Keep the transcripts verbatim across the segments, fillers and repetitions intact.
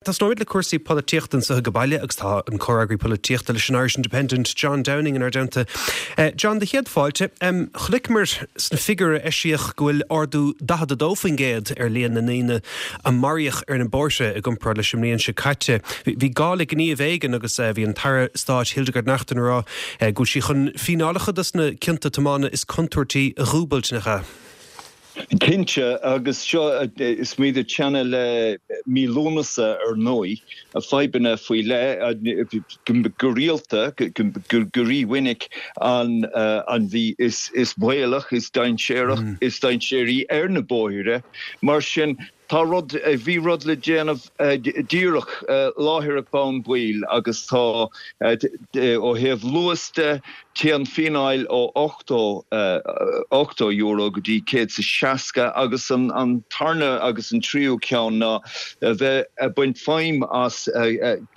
Tosnóimid le cúrsaí polaitíochta anseo ag baile agus tá an comhfhreagraí polaitíochta leis an Irish Independent John Downing inár dteannta. Uh, John de chéad fáilte um, chonaiceamar sna figiúirí a eisíodh go bhfuil ardú daichead a dó faoin gcéad ar líon na ndaoine a maraíodh ar na bóithre i gcomparáid leis an mbliain seo caite. Bhí gá le gníomh éigin agus uh, bhí an tAire Stáit Hildegard Naughton ag rá uh, go bhfuil sí chun fíneálacha dos na cionta tiomána is contúirtí a dhúbailt nach ea. Cinnte agus seo is muid ag teannadh le mí Lúnasa ar ndóigh a fadhbanna faoi leith go rialta go rímhinic an an mhí is is baolach is dainséarach mm. is dainséaraí ar na bóithre mar sin tá rud bhí rud le déanamh díreach láithreach bonn ball agus tá ó thaobh luas de téann fíneáil ó ochtó ochtó euro go dtí céad is seasca agus an an tarna agus an tríú ceann ná bheith ag baint feidhm as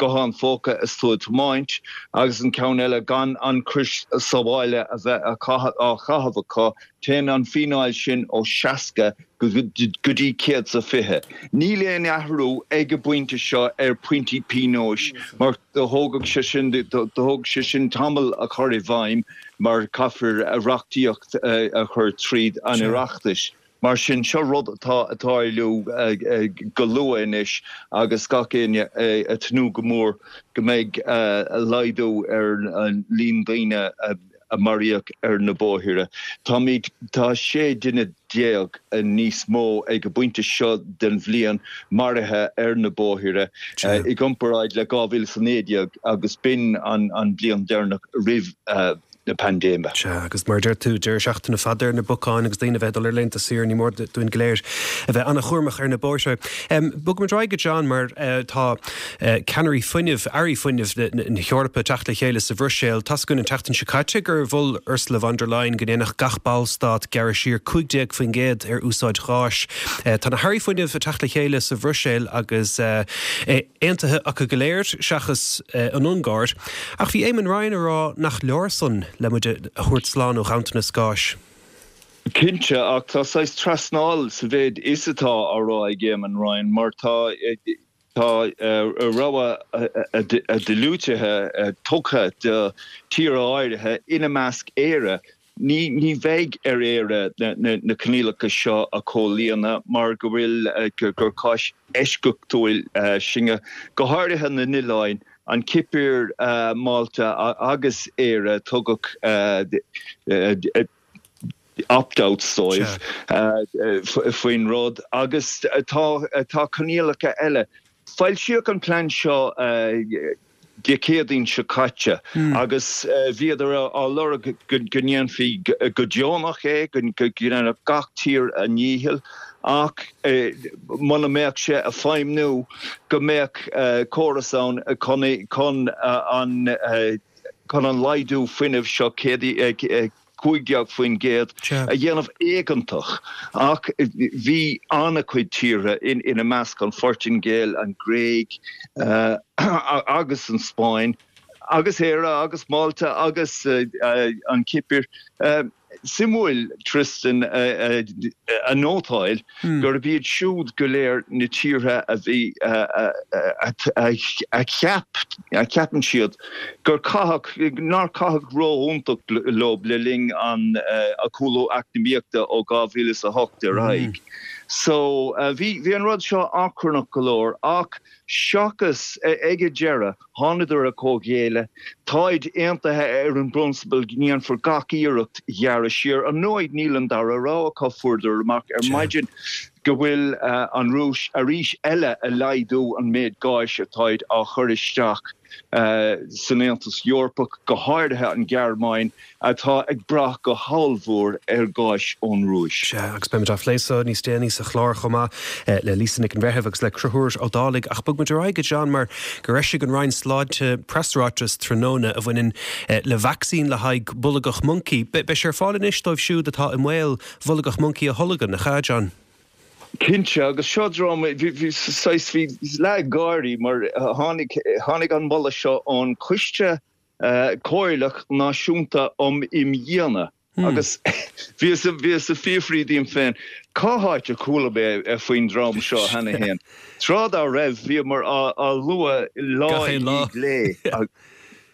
guthán póca is tú ag tiomáint agus an ceann eile gan an crios sábhála a bheith á chaitheamh acu téann an fíneáil sin ó seasca go dtí céad is fiche. Níl aon athrú ag an bpointe seo ar pointí pionóis mar do thógfadh sé sin do thóg sé sin tamall a chur i bhfeidhm mar caithfear a reachtaíocht a chur tríd an Oireachtas. Mar sin seo rud atá ag tarlú go luath anois agus gach éinne ag tnúth go mór go mbeidh laghdú ar an líon daoine a maraíodh ar na bóithre. Táimid tá sé duine déag níos mó ag an bpointe seo den bhliain maraithe ar na bóithre i gcomparáid le dhá mhíle is a naoi déag agus b'in an an bliain deireanach roimh uh, na paindéime. Sea, agus mar deir tú deireadh seachtaine fada ar na bacáin agus daoine bheith dul ar laethanta saoire ní mór dúinn go léir a bheith an-chúramach ar na bóithre. Um, Bogfaimid ar aghaidh go John mar uh, tá uh, ceannairí fuinnimh airí fuinnimh na hEorpa teacht le chéile sa Bhruiséil Tá a fhios againn an tseachtain seo caite gur mhol Ursula von der Leyen go ndéanfadh gach ballstát gearradh siar cúig déag faoin gcéad ar úsáid gáis. Uh, tá na hairí fuinnimh ag teacht le chéile sa Bhruiséil agus uh, aontaithe acu go léir seachas uh, an Ungáir. Ach bhí Eamon Ryan ag rá nach leor san le muid a thabhairt slán ó ghanntanas gáis. Cinnte ach tá saghas trasnáil sa mhéid is atá á rá ag Eamon Ryan mar tá tá rogha diúltaithe tugtha do thíortha áirithe ina measc Éire. Ní ní bheidh ar Éire na, na, na coinníollacha seo a chomhlíonadh mar go bhfuil gur cás eisceachtúil sinne go háirithe na n-oileáin an Chipir uh, Málta agus Éire tugadh uh, uh, opt-out dóibh faoin rud agus tá tá coinníollacha eile. Foilsíodh an plean seo Dé Céadaoin seo caite hmm. agus bhíodar á lorg go ndéanfaí go deonach é go ndéanfadh gach tír a ndícheall ach muna mbeadh sé ag feidhmiú go mbeadh córas ann chun chun an chun an laghdú fuinnimh seo cúig déag faoin gcéad a dhéanamh éigeantach ach bhí an-chuid tíortha in ina measc an Phortaingéil an Ghréig uh, agus an Spáinn agus Éire agus Málta agus uh, uh, an Chipir. Uh, Suimiúil Tristan a nótáil hmm. gurb iad siúd go léir na tíortha a bhí a cheap a cheapann siad gur caitheadh nár caitheadh rófhiúntach leo le linn an a cúlú eacnamaíochta ó dhá mhíle a hocht ar aghaidh. Hmm. So bhí bhí an rud seo achrannach go leor ach seachas ag an deireadh thánadar a comhghéilleadh táid aontaithe ar an bprionsabal go ndéanfar gach iarracht ghearradh siar ar ndóigh níl an dara rogha acu fuaireadar amach ar maidin go bhfuil an Rúis arís eile ag laghdú an méid gáis atáid á chur isteach san Aontas Eorpach go háirithe an Ghearmáin atá ag brath go hollmhór ar ghás ón Rúis. Sea, agus beimid á phlé so níos déanaí sa chlár chomh maith le Lisa Nic an Bhreithimh agus le Conchúr Ó Dálaigh ach bogfaimid ar aghaidh go John mar gur eisigh an Roinn Sláinte preasráiteas tráthnóna a bhaineann le vacsaín le haghaidh bolgach moncaí. Beidh sé ar fáil anois dóibh siúd atá i mbaol bolgach moncaí a tholgadh nach ea John. Cinnte agus seo dráma bhí bhí leathgháirí mar tháinig tháinig an moladh seo ón Coiste Comhairleach Náisiúnta um Imdhíonadh. Agus bhíos bhíos ag fiafraí díom féin cá háit a chuala mé faoin dream seo cheana féin. Tráth dá raibh bhíomar á lua lá lá. lé.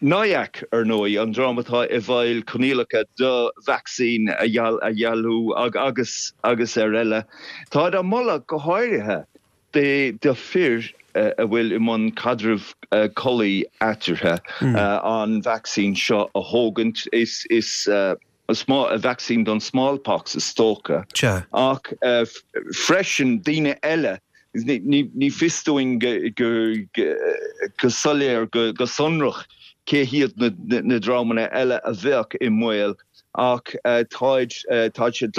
N I A C ar ndóigh an dream atá i bhfeighil coinníollacha do vacsaín a dhealú agus agus ar eile. Tá á moladh go háirithe de de fir a bhfuil i mbun caidreamh collaí eatarthu an vacsaín seo a thógaint is is uh, a vacsaín don smallpox is dócha ach uh, freisin daoine eile ní, ní fios dúinn go, go, go, go soiléir go, go sonrach cé hiad na, na, na dreamanna eile a bheadh i mbaol ach uh, táid uh, tá sé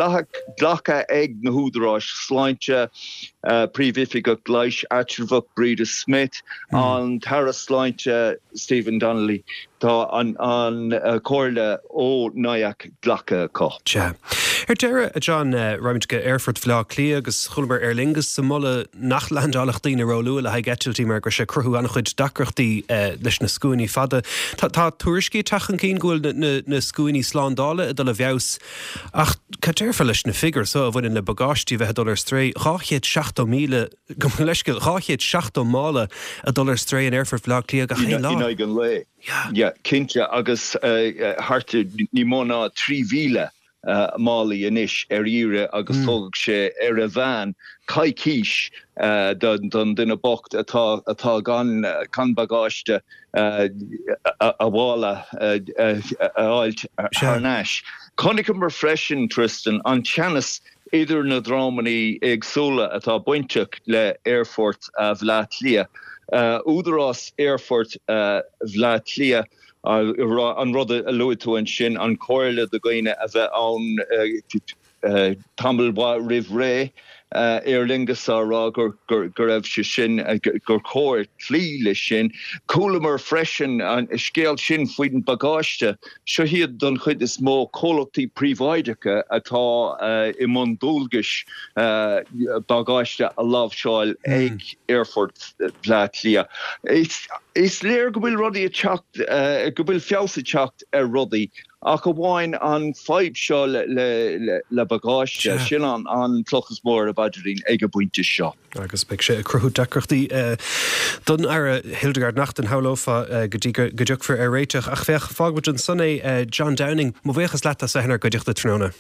glactha ag na húdaráis sláinte uh, príomhoifigeach leighis eatramhach Breda Smith mm. an tAire Sláinte Stephen Donnelly tá an an uh, comhairle ó N I A C glactha acu. Sea. Ar deireadh a John uh, raghaimid go Aerfort Bhaile Átha Cliath agus chualamar Aer Lingus ag moladh nach landálfadh daoine róluath le haghaidh eitiltí mar go sé cruthú an-chuid deacrachtaí uh, leis na scuainí fada. Tá, tá tuairiscí tagtha chun go bhfuil na, na, na scuainí slándála ag dul i bhfeabhas ach cad déarfá leis na figiúirí so a bhaineann le bagáistí bheith dul ar strae dhá chéad seachtó míle go leisce dhá chéad seachtó mála a dul ar strae in Aerfort Bhaile Átha Cliath gach aon lá. In an lae. Yeah, cinnte agus uh, thart ní mó ná trí mhíle uh, málaí anois ar iarraidh agus mm. tógfaidh sé ar a mheán coicís uh, don, don duine bocht atá atá gan gan bagáiste uh, a, a mhála uh, uh, a fháilt thar n-ais. Chonaiceamar freisin Tristan an teannas idir na dreamanna éagsúla atá bainteach le Aerfort uh, Bhaile Átha Cliath. Uh, Údarás Aerfort uh, Bhaile Átha Cliath uh, an rud a luaigh tú ansin an chomhairle do dhaoine a bheith ann uh, uh, tamall roimh ré uh, Aer Lingus á rá gur, gur, gur raibh sé sin uh, gur chóir cloí leis sin. Chualamar freisin an scéal sin faoin bagáiste seo hiad don chuid is mó comhlachtaí príobháideacha atá uh, i mbun dualgais uh, bagáiste a láimhseáil mm. ag Aerfort Bhaile Átha Cliath. Is, is léir go bhfuil rudaí ag teacht uh, go bhfuil feabhas ag teacht ar rudaí ach amháin an fadhb seo le, le, le, le bagáiste sin an an cloch is mó ar a bpaidrín ag an bpointe seo. Agus beidh sé ag cruthú deacrachtaí uh, don Aire Hildegarde Naughton shamhlófá uh, go dtí go dtiocfar ar réiteach ach féach fágfaimid ansan é uh, John Downing, mo bhuíochas leat as bheith inár gcuideachta tráthnóna.